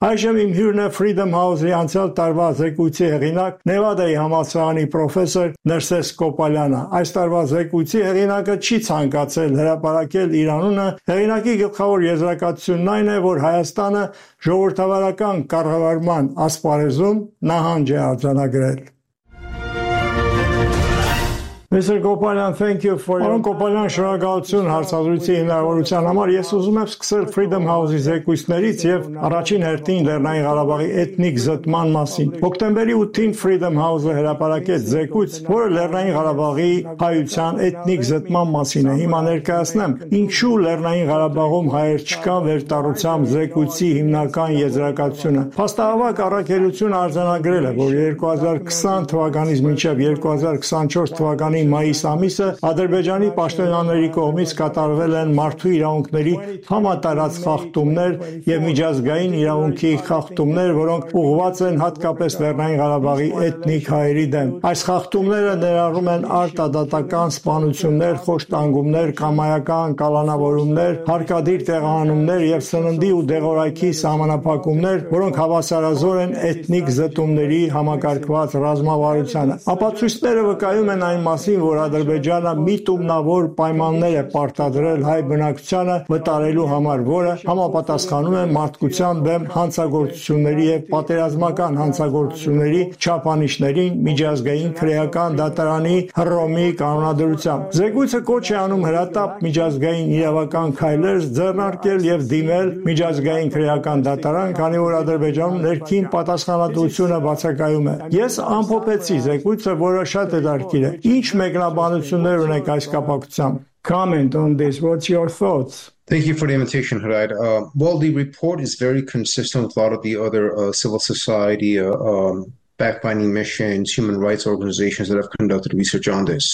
Այժմ իմ հյուրն է Freedom House-ի անցյալ տարվա զեկույցի հեղինակ, Նևադայի համալսարանի պրոֆեսոր Ներսես Կոպալյանը։ Այս տարվա զեկույցի հեղինակը չի ցանկացել հրապարակել իր անունը։ Հեղինակի գլխավոր եզրակացությունն այն է, որ Հայաստանը ժողովրդավարական կառավարման ասպարեզում նահանջ է արձանագրել։ Mr. Kopalyan, thank you for your... Kopalyan, շնորհակալություն հարցազրույցի հնարավորության համար։ Ես ուզում եմ սկսել Freedom House-ի զեկույցներից եւ առաջին հերթին Լեռնային Ղարաբաղի էթնիկ զտման մասին։ Հոկտեմբերի 8-ին Freedom House-ը հրապարակեց զեկույց, որը Լեռնային Ղարաբաղի հայության էթնիկ զտման մասին է։ Հիմա ներկայացնեմ, ինչու Լեռնային Ղարաբաղում հայեր չկան վերտառությամբ զեկույցի հիմնական եզրակացությունը։ Փաստահավաք առաքելությունը արձանագրել է, որ 2020 թվականից մինչև 2024 թվականի մայիս ամիսը Ադրբեջանի պաշտոնյաների կողմից կատարվել են մարդու իրավունքների համատարած խախտումներ եւ միջազգային իրավունքի խախտումներ, որոնք ուղղված են հատկապես Լեռնային Ղարաբաղի էթնիկ հայերի դեմ։ Այս խախտումները ներառում են արտադատական սպանություններ, խոշտանգումներ, կամայական կալանավորումներ, հարկադիր տեղահանումներ եւ սննդի ու դեղորայքի սահմանափակումներ, որոնք հավասարազոր են էթնիկ զտումների համակարգված ռազմավարությանը։ Ապացույցները վկայում են այն մասին, որ Ադրբեջանը միտումնավոր պայմաններ է պարտադրել հայ բնակչությանը վտարելու համար, որը համապատասխանում է մարդկության դեմ հանցագործությունների եւ պատերազմական հանցագործությունների չափանիշներին միջազգային քրեական դատարանի Հռոմի կանոնադրությամբ։ Զեկույցը կոչ է անում հրատապ միջազգային իրավական քայլեր ձեռնարկել եւ դիմել միջազգային քրեական դատարան, քանի որ Ադրբեջանում ներքին պատասխանատվությունը բացակայում է։ Ես ամփոփեցի զեկույցը, որը շատ հետաքրքիր է։ Ինչ մեկնաբանություններ ունեք այս կապակցությամբ? Comment on this. What's your thoughts? Thank you for the invitation, Harad. Well, the report is very consistent with a lot of the other civil society fact-finding missions, human rights organizations that have conducted research on this.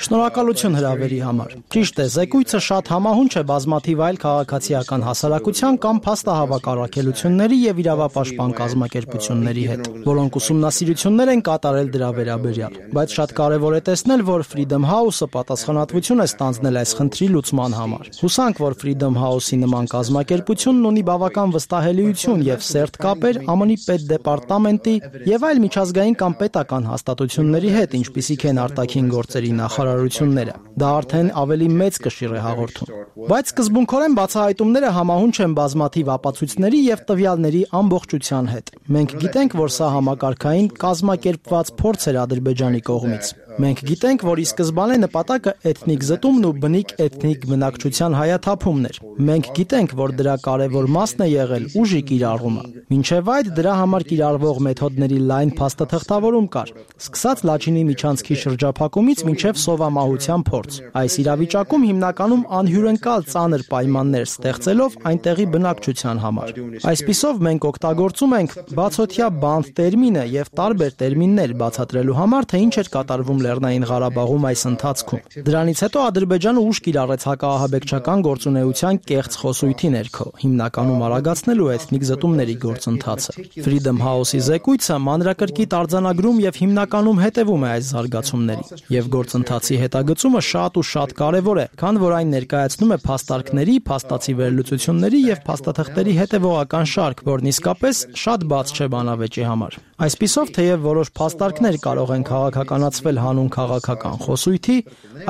Շնորհակալություն հրավերի համար։ Ճիշտ է, զեկույցը շատ համահունչ է բազմաթիվ այլ քաղաքացիական հասարակության կամ փաստահավաք առաքելությունների եւ իրավապաշտպան կազմակերպությունների հետ, որոնք ուսումնասիրություններ են կատարել դրա վերաբերյալ։ Բայց շատ կարեւոր է տեսնել, որ Freedom House-ը պատասխանատվություն է ստանձնել այս խնդրի լուծման համար։ Հուսանք, որ Freedom House-ի նման կազմակերպությունն ունի բավական վստահելիություն եւ սերտ կապեր ԱՄՆ-ի պետդեպարտամենտի եւ այլ միջազգային կամ պետական հաստատությունների հետ, ինչպիսիք են արտաքին գործերի նախարարությունները։ Դա արդեն ավելի մեծ կշիռ է հաղորդում։ Բայց սկզբունքորեն բացահայտումները համահունչ են բազմաթիվ ապացույցների եւ տվյալների ամբողջության հետ։ Մենք գիտենք, որ սա համակարգային կազմակերպված փորձ էր Ադրբեջանի կողմից։ Մենք գիտենք, որ ի սկզբանե նպատակը էթնիկ զտումն ու բնիկ էթնիկ բնակչության հայաթափումն էր։ Մենք գիտենք, որ դրա կարևոր մասն է եղել ուժի կիրառումը։ Մինչև այդ դրա համար կիրառվող մեթոդների լայն փաստաթղթավորում կար, սկսած Լաչինի միջանցքի շրջափակումից մինչև սովամահության փորձ։ Այս իրավիճակում հիմնականում անհյուրընկալ ծանր պայմաններ ստեղծելով այնտեղի բնակչության համար։ Այսպիսով մենք օգտագործում ենք բացօթյա բանդ տերմինը եւ տարբեր տերմիններ բացատրելու համար, թե ինչ էր կատարվում Լեռնային Ղարաբաղում այս ընթացքում։ Դրանից հետո Ադրբեջանը ուժ կիրառեց հակահաբեկչական գործունեության կեղծ խոսույթի ներքո, հիմնականում արագացնելու էթնիկ զտումների գործընթացը։ Freedom House-ի զեկույցը մանրակրկիտ արձանագրում եւ հիմնականում հետևում է այս զարգացումներին, եւ գործընթացի հետագծումը շատ ու շատ կարեւոր է, քան որ այն ներկայացնում է փաստարկների, փաստացի վերլուծությունների եւ փաստաթղթերի հետեւողական շարք, որն իսկապես շատ բաց չէ բանավեճի համար։ Այսպիսով, թեև որոշ փաստարկներ կարող են քաղաքականացվել հանուն քաղաքական խոսույթի,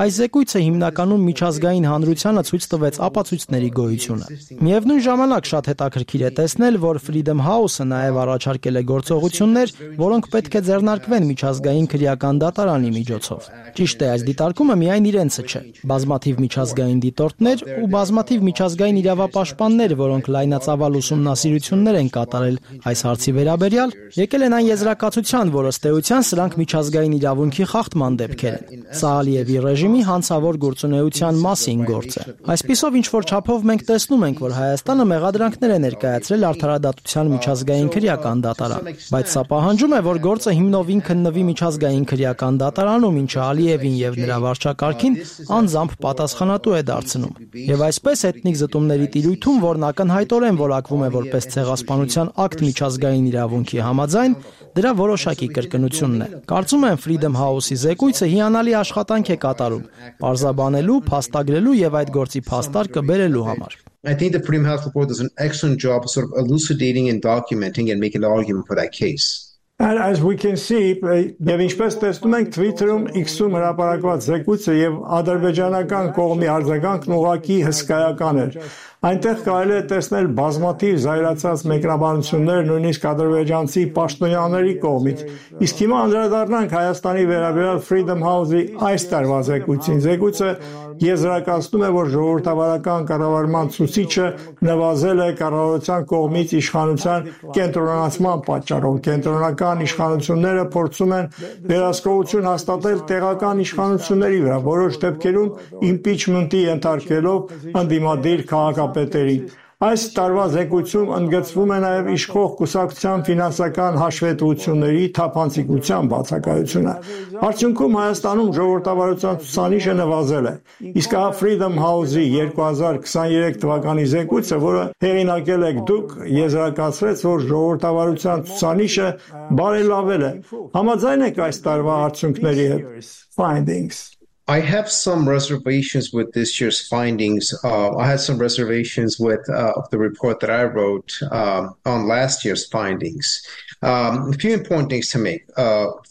այս զեկույցը հիմնականում միջազգային հանրությանը ցույց տվեց ապացույցների գոյությունը։ Միևնույն ժամանակ շատ հետաքրքիր է տեսնել, որ Freedom House-ը նաև առաջարկել է գործողություններ, որոնք պետք է ձեռնարկվեն միջազգային քրեական դատարանի միջոցով։ Ճիշտ է, այս դիտարկումը միայն իրենցը չէ։ Բազմաթիվ միջազգային դիտորդներ ու բազմաթիվ միջազգային իրավապաշտպաններ, որոնք լայնածավալ ուսումնասիրություններ են կատարել այս հարցի վերաբերյալ, եկել են այն եզրակացության, որ ըստ էության սրանք միջազգային իրավունքի խախտման դեպքեր են։ Սա Ալիևի ռեժիմի հանցավոր գործունեության մասին գործ է։ Այսպիսով ինչ որ չափով մենք տեսնում ենք, որ Հայաստանը մեղադրանքներ է ներկայացրել արդարադատության միջազգային քրեական դատարան, բայց սա պահանջում է, որ գործը հիմնովին քննվի միջազգային քրեական դատարանում, ինչը Ալիևին եւ նրա վարչակարգին անձամբ պատասխանատու է դարձնում։ Եվ այսպես էթնիկ զտումների տիրույթում, որն ակնհայտորեն որակվում է որպես ցեղասպանության ակտ միջազգային իրավունքի համաձայն, դրա որոշակի կրկնությունն է։ Կարծում եմ Freedom House-ի զեկույցը հիանալի աշխատանք է կատարում, պարզաբանելու, փաստագրելու եւ այդ գործի փաստարկը բերելու համար։ I think the Freedom House report does an excellent job of sort of elucidating and documenting and making an argument for that case. And as we can see, եւ ինչպես տեսնում ենք Twitter-ում X-ում հրապարակված զեկույցը եւ ադրբեջանական կողմի արձագանքն ուղղակի հսկայական էր։ Այնտեղ կարելի է տեսնել բազմաթիվ զայրացած մեկնաբանություններ նույնիսկ ադրբեջանցի պաշտոնյաների կողմից։ Իսկ հիմա անդրադառնանք Հայաստանի վերաբերյալ Freedom House-ի այս տարվա զեկույցին։ Զեկույցը եզրակացնում է, որ ժողովրդավարական կառավարման ցուցիչը նվազել է կառավարության կողմից իշխանության կենտրոնացման պատճառով։ Կենտրոնական իշխանությունները փորձում են վերահսկողություն հաստատել տեղական իշխանությունների վրա, որոշ դեպքերում իմպիչմենտի ենթարկելով ընդդիմադիր քաղաքապետերին։ Այս տարվա զեկույցում ընդգծվում է նաև իշխող կուսակցության ֆինանսական հաշվետվությունների թափանցիկության բացակայությունը։ Արդյունքում Հայաստանում ժողովրդավարության ցուցանիշը նվազել է։ Իսկ ահա Freedom House-ի 2023 թվականի զեկույցը, որը հեղինակել եք դուք, եզրակացրեց, որ ժողովրդավարության ցուցանիշը բարելավել է։ Համաձայն եք այս տարվա արդյունքների հետ, findings? I have some reservations with this year's findings. I had some reservations with the report that I wrote on last year's findings. A few important things to make.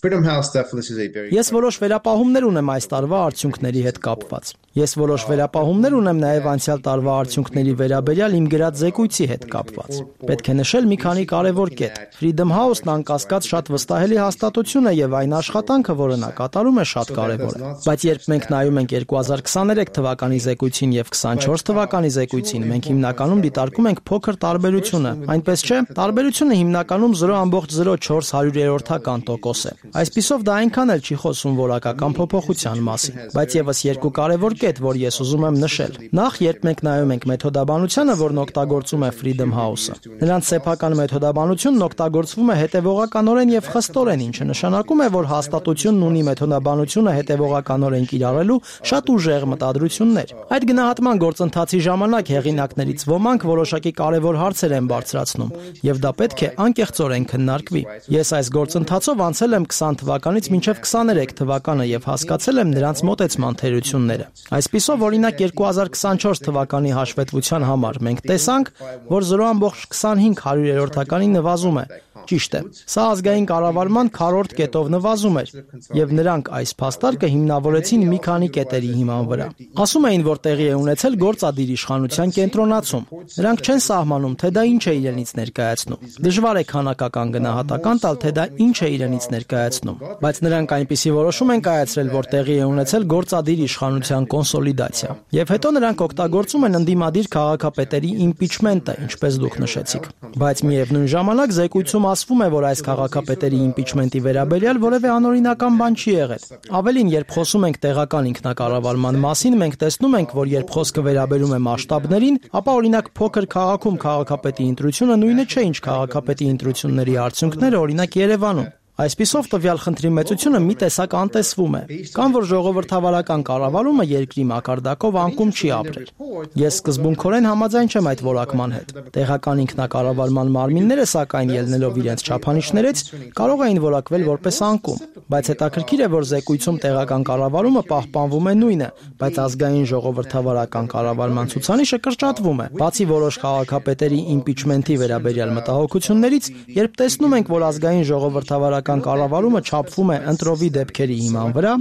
Freedom House definitely is a very... Ես որոշ վերապահումներ ունեմ այս տարվա արդյունքների հետ կապված։ Ես որոշ վերապահումներ ունեմ նաև անցյալ տարվա արդյունքների վերաբերյալ իմ գրած զեկույցի հետ կապված։ Պետք է նշել մի քանի կարևոր կետ։ Freedom House-ն անկասկած շատ վստահելի հաստատություն է եւ այն աշխատանքը, որը նա կատարում է, շատ կարևոր է։ Բայց երբ մենք նայում ենք 2023 թվականի զեկույցին եւ 24 թվականի զեկույցին, մենք հիմնականում դիտարկում ենք փոքր տարբերությունը։ Այնպես չէ, տարբերությունը հիմնականում 0.04%-ական տոկոս է։ Այսպիսով դա այնքան էլ չի խոսում որակական փոփոխության մասին։ Բայց եւս երկու կարևոր կետ, որ ես ուզում եմ նշել։ Նախ, երբ մենք նայում ենք մեթոդաբանությանը, որն օգտագործում է Freedom House-ը, նրանց սեփական մեթոդաբանությունն օգտագործվում է հետևողականորեն եւ խստորեն, ինչը նշանակում է, որ հաստատությունն ունի մեթոդաբանությունը հետևողականորեն կիրառելու շատ ուժեղ մտադրություններ։ Այդ գնահատման գործընթացի ժամանակ հեղինակներից ոմանք որոշակի կարևոր հարցեր են բարձրացնում, եւ դա պետք է անկեղծորեն քննարկվի։ Ես այս գործընթացով անցել եմ 20 թվականից մինչև 23 թվականը եւ հասկացել եմ նրանց մոտեցման թերությունները։ Այսպիսով, օրինակ 2024 թվականի հաշվետվության համար մենք տեսանք, որ 0.25%-ականի նվազում է։ Ճիշտ է։ Սա ազգային կառավարման քառորդ կետով նվազում էր, եւ նրանք այս փաստարկը հիմնավորեցին մի քանի կետերի հիման վրա։ Ասում էին, որ տեղի է ունեցել գործադիր իշխանության կենտրոնացում։ Նրանք չեն սահմանում, թե դա ինչ է իրենից ներկայացնում։ Դժվար է քանակական գնահատական տալ, թե դա ինչ է իրենից ներկայացնում, բայց նրանք այնպիսի որոշում են կայացրել, որ տեղի է ունեցել գործադիր իշխանության կոնսոլիդացիա։ Եվ հետո նրանք օգտագործում են ընդդիմադիր քաղաքապետերի իմպիչմենտը, ինչպես դուք նշեցիք։ Բայց միևնույն ժամանակ զեկույցում ասվում է, որ այս քաղաքապետերի իմպիչմենտի վերաբերյալ որևէ անօրինական բան չի եղել։ Ավելին, երբ խոսում ենք տեղական ինքնակառավարման մասին, մենք տեսնում ենք, որ երբ խոսքը վերաբերում է մասշտաբներին, ապա օրինակ փոքր քաղաքում քաղաքապետի ընտրությունը նույնը չէ, ինչ քաղաքապետի ընտրությունների արդյունքները օրինակ Երևանում։ Այսպիսով տվյալ խնդրի մեծությունը մի տեսակ անտեսվում է, կամ որ ժողովրդավարական կառավարումը երկրի մակարդակով անկում չի ապրել։ Ես սկզբունքորեն համաձայն չեմ այդ որակման հետ։ Տեղական ինքնակառավարման մարմինները, սակայն ելնելով իրենց չափանիշներից, կարող էին որակվել որպես անկում, բայց հետաքրքիր է, որ զեկույցում տեղական կառավարումը պահպանվում է նույնը, բայց ազգային ժողովրդավարական կառավարման ցուցանիշը կրճատվում է։ Բացի որոշ քաղաքապետերի իմպիչմենտի վերաբերյալ մտահոգություններից, երբ տեսնում ենք, որ ազգային ժողովրդավարական կառավարումը չափվում է ընտրովի դեպքերի հիման վրա,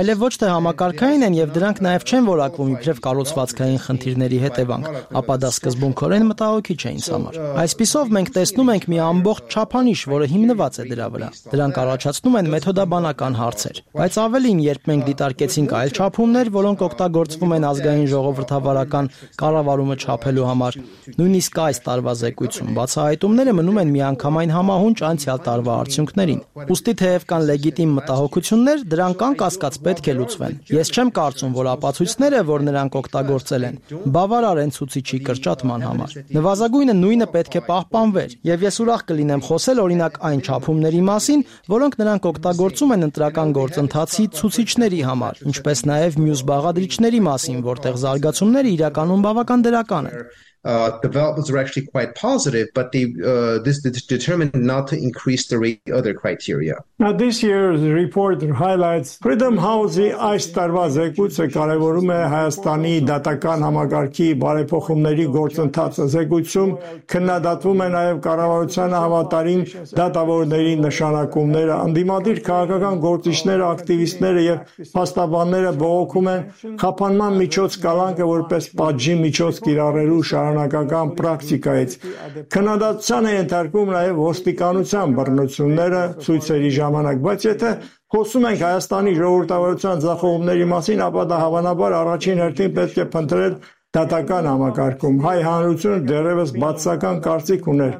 այլև ոչ թե համակարգային են եւ դրանք նաեւ չեն որակվում իբրև կառուցվածքային խնդիրների հետևանք, ապա դա սկզբունքորեն մտահոգիչ է ինձ համար։ Այսպիսով մենք տեսնում ենք մի ամբողջ չափանիշ, որը հիմնված է դրա վրա։ Դրանք առաջացնում են մեթոդաբանական հարցեր։ Բայց ավելին, երբ մենք դիտարկեցինք այլ չափումներ, որոնք օգտագործվում են ազգային ժողովրդավարական կառավարումը չափելու համար, նույնիսկ այս տարվա զեկույցում բացահայտումները մնում են միանգամայն համահունչ անցյալ տարվա արդյունքներին։ Ուստի թեև կան լեգիտիմ մտահոգություններ, դրանք անկասկած պետք է լուծվեն։ Ես չեմ կարծում, որ ապացույցները, որ նրանք օգտագործել են, բավարար են ցուցիչի կրճատման համար։ Նվազագույնը նույնը պետք է պահպանվեր, եւ ես ուրախ կլինեմ խոսել օրինակ այն չափումների մասին, որոնք նրանք օգտագործում են ընտրական գործընթացի ցուցիչների համար, ինչպես նաեւ մյուս բաղադրիչների մասին, որտեղ զարգացումները իրականում բավական դրական են։ developments were actually quite positive, but this determined not to increase the rate other criteria. Now this year's report highlights Freedom House-ի այս տարվա զեկույցը կարևորում է Հայաստանի դատական համակարգի բարեփոխումների գործընթացը։ Զեկույցում քննադատվում է նաև կառավարությանը համատարին դատավորների նշանակումները, անդիմադիր քաղաքական գործիչները, ակտիվիստները եւ փաստաբանները բողոքում են խափանման միջոց կալանքը որպես պատժի միջոց կիրառելու շարունակական պրակտիկայից։ Քննադատության է ենթարկվում նաև ոստիկանության բռնությունները ցույցերի ժամանակ, բայց եթե խոսում ենք Հայաստանի ժողովրդավարության ձախողումների մասին, ապա դա հավանաբար առաջին հերթին պետք է փնտրել դատական համակարգում։ Հայ հանրությունը դեռևս բացասական կարծիք ուներ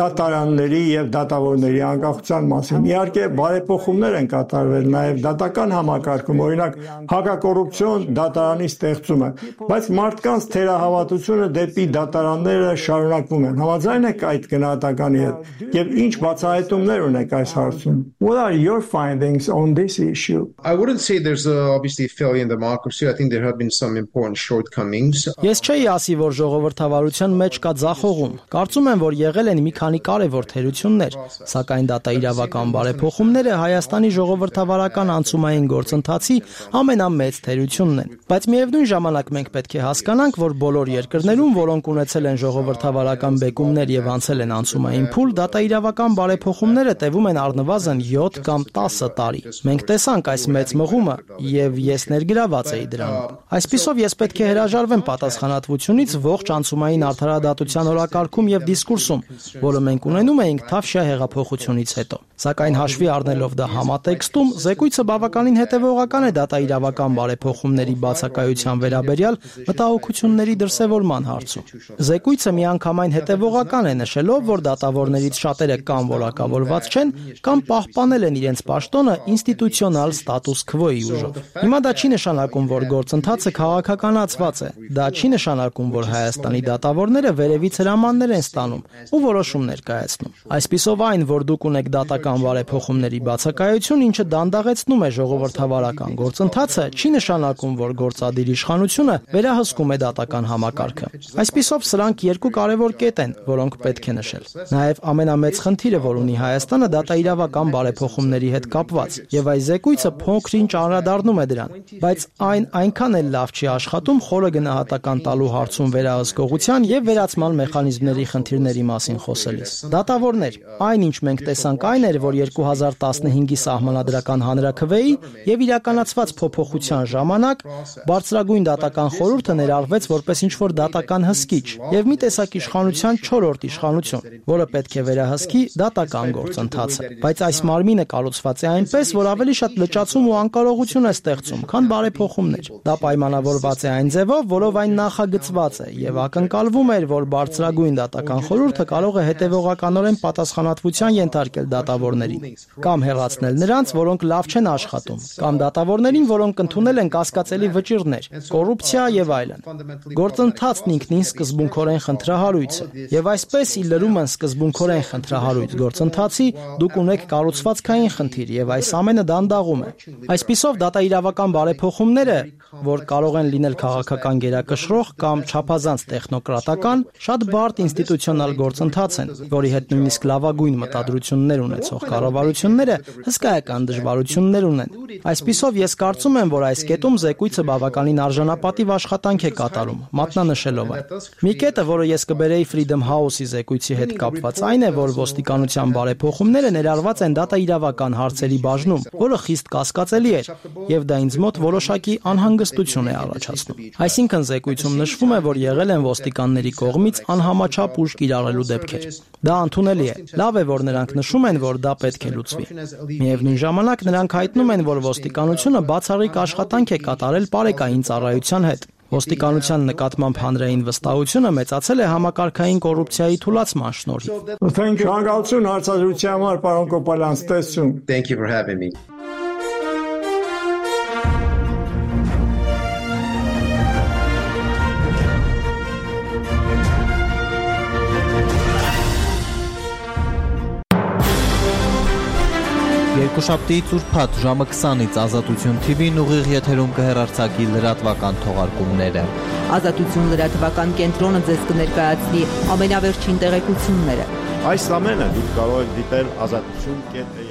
դատարանների եւ դատավորների անկախության մասին։ Իհարկե, բարեփոխումներ են կատարվել նաև դատական համակարգում, օրինակ հակակոռուպցիոն դատարանի ստեղծումը, բայց մարդկանց թերահավատությունը դեպի դատարանները շարունակվում են։ Համաձայն եք այդ գնահատականի հետ եւ ինչ բացահայտումներ ունեք այս հարցում։ What are your findings on this issue? I wouldn't say there's obviously a failure in democracy. I think there have been some important shortcomings. Ես չէի ասի, որ ժողովրդավարության մեջ կա ձախողում։ Կարծում եմ, որ եղել են մի քանի կարևոր թերություններ, սակայն դատաիրավական բարեփոխումները Հայաստանի ժողովրդավարական անցումային գործընթացի ամենամեծ թերությունն են։ Բայց միևնույն ժամանակ մենք պետք է հասկանանք, որ բոլոր երկրներում, որոնք ունեցել են ժողովրդավարական բեկումներ եւ անցել են անցումային փուլ, դատաիրավական բարեփոխումները տևում են առնվազն 7 կամ 10 տարի։ Մենք տեսանք այս մեծ մղումը եւ ես ներգրաված էի դրանում։ Այսպիսով ես պետք է հրաժարվեմ պատասխանատվությունից ողջ անցումային արդարադատության օրակարգում եւ դիսկուրսում, որը մենք ունենում էինք Թավշյա հեղափոխությունից հետո։ Սակայն հաշվի առնելով դա համատեքստում, զեկույցը բավականին հետևողական է դատաիրավական բարեփոխումների բացակայության վերաբերյալ մտահոգությունների դրսևորման հարցում։ Զեկույցը միանգամայն հետևողական է նշելով, որ դատավորներից շատերը կամ որակավորված չեն, կամ պահպանել են իրենց պաշտոնը ինստիտուցիոնալ ստատուս քվոյի ուժով։ Հիմա դա չի նշանակում, որ գործընթացը քաղաքականացված է։ Դա չի նշանակում, որ Հայաստանի դատավորները վերևից հրամաններ են ստանում ու որոշումներ կայացնում։ Այսպիսով այն, որ դուք ունեք դատական բարեփոխումների բացակայություն, ինչը դանդաղեցնում է ժողովրդավարական գործընթացը, չի նշանակում, որ գործադիր իշխանությունը վերահսկում է դատական համակարգը։ Այսպիսով սրանք երկու կարևոր կետ են, որոնք պետք է նշել։ Նաև ամենամեծ խնդիրը, որ ունի Հայաստանը, դատաիրավական բարեփոխումների հետ կապված, եւ այս զեկույցը փոքր-ինչ անդրադառնում է դրան, բայց այն այնքան էլ լավ չի աշխատում խորը գնահատական տալու հարցում վերահսկողության եւ վերացման մեխանիզմների խնդիրների մասին խոսելիս։ Դատավորներ, այնինչ մենք տեսանք այն էր, որ 2015-ի սահմանադրական հանրաքվեի եւ իրականացված փոփոխության ժամանակ բարձրագույն դատական խորհուրդը ներառվեց որպես ինչ-որ դատական հսկիչ եւ մի տեսակ իշխանության 4-րդ իշխանություն, որը պետք է վերահսկի դատական գործընթացը։ Բայց այս մարմինը կառուցված է այնպես, որ ավելի շատ լճացում ու անկարողություն է ստեղծում, քան բարեփոխումներ։ Դա պայմանավորված է այն ձևով, որով այն նախագծված է եւ ակնկալվում էր, որ բարձրագույն դատական խորհուրդը կարող է հետեւողականորեն պատասխանատվության ենթարկել դատավորներին, կամ հեռացնել նրանց, որոնք լավ չեն աշխատում, կամ դատավորներին, որոնք ընդունել են կասկածելի վճիռներ, կոռուպցիա եւ այլն։ Գործընթացն ինքնին սկզբունքորեն խնդրահարույց է, եւ այսպես ի լրումն սկզբունքորեն խնդրահարույց գործընթացի դուք ունեք կառուցվածքային խնդիր եւ այս ամենը դանդաղում է։ Այսպիսով դատաիրավական բարեփոխումները, որ կարող են լինել քաղաքական գերակշռող կամ չափազանց տեխնոկրատական, շատ բարդ ինստիտուցիոնալ գործընթաց են, որի հետ նույնիսկ լավագույն մտադրություններ ունեցող կառավարությունները հսկայական դժվարություններ ունեն։ Այսպիսով ես կարծում եմ, որ այս կետում զեկույցը բավականին արժանապատիվ աշխատանք է կատարում, մատնանշելով այն։ Մի կետը, որը ես կբերեի Freedom House-ի զեկույցի հետ կապված, այն է, որ ոստիկանության բարեփոխումները ներառված են դատաիրավական հարցերի բաժնում, որը խիստ կասկածելի էր, եւ դա ինձ մոտ որոշակի անհանգստություն է առաջացնում։ Այսինքն զեկույցում նշվում է, որ եղել են ոստիկանների կողմից անհամաչափ ուժ կիրառելու դեպքեր։ Դա ընդունելի է։ Լավ է, որ նրանք նշում են, որ դա պետք է լուծվի։ Միևնույն ժամանակ նրանք հայտնում են, որ ոստիկանությունը բացառիկ աշխատանք է կատարել պարեկային ծառայության հետ։ Ոստիկանության նկատմամբ հանրային վստահությունը մեծացել է համակարգային կոռուպցիայի թուլացման շնորհիվ։ Շնորհակալություն հարցազրույցի համար, պարոն Կոպալյան, ստեսություն։ Thank you for having me. Երկուշաբթիից ուրբաթ ժամը 20-ից Ազատություն TV-ն ուղիղ եթերում կհեռարձակի լրատվական թողարկումները։ Ազատություն լրատվական կենտրոնը ձեզ կներկայացնի ամենավերջին տեղեկությունները։ Այս ամենը դուք կարող եք դիտել azatutun.am